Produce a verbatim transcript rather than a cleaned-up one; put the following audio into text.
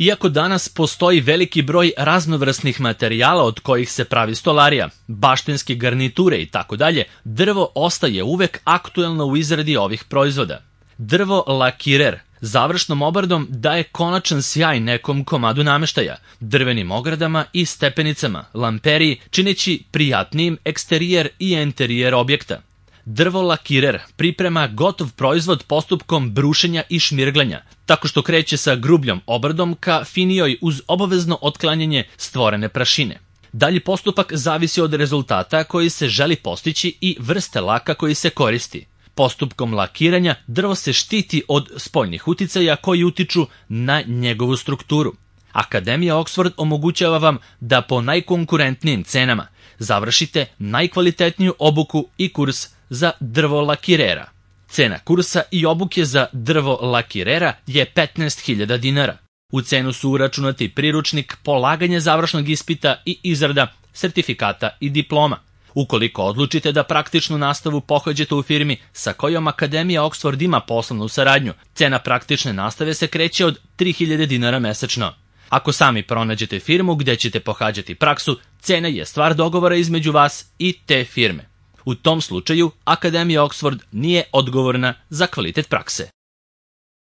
Iako danas postoji veliki broj raznovrsnih materijala od kojih se pravi stolarija, baštenske garniture i tako dalje, drvo ostaje uvek aktuelno u izradi ovih proizvoda. Drvo lakirer završnom obradom daje konačan sjaj nekom komadu nameštaja, drvenim ogradama i stepenicama, lamperiji, čineći prijatnijim eksterijer i enterijer objekta. Drvo lakirer priprema gotov proizvod postupkom brušenja i šmirglanja, tako što kreće sa grubljom obradom ka finijoj uz obavezno otklanjanje stvorene prašine. Dalji postupak zavisi od rezultata koji se želi postići i vrste laka koji se koristi. Postupkom lakiranja drvo se štiti od spoljnih uticaja koji utiču na njegovu strukturu. Akademija Oxford omogućava vam da po najkonkurentnijim cenama završite najkvalitetniju obuku i kurs za drvo lakirera. Cena kursa i obuke za drvo lakirera je petnaest hiljada dinara. U cenu su uračunati priručnik, polaganje završnog ispita i izrada sertifikata i diploma. Ukoliko odlučite da praktičnu nastavu pohađate u firmi sa kojom Akademija Oxford ima poslovnu saradnju, cena praktične nastave se kreće od tri hiljade dinara mesečno. Ako sami pronađete firmu gde ćete pohađati praksu, cena je stvar dogovora između vas i te firme. U tom slučaju, Akademija Oxford nije odgovorna za kvalitet prakse.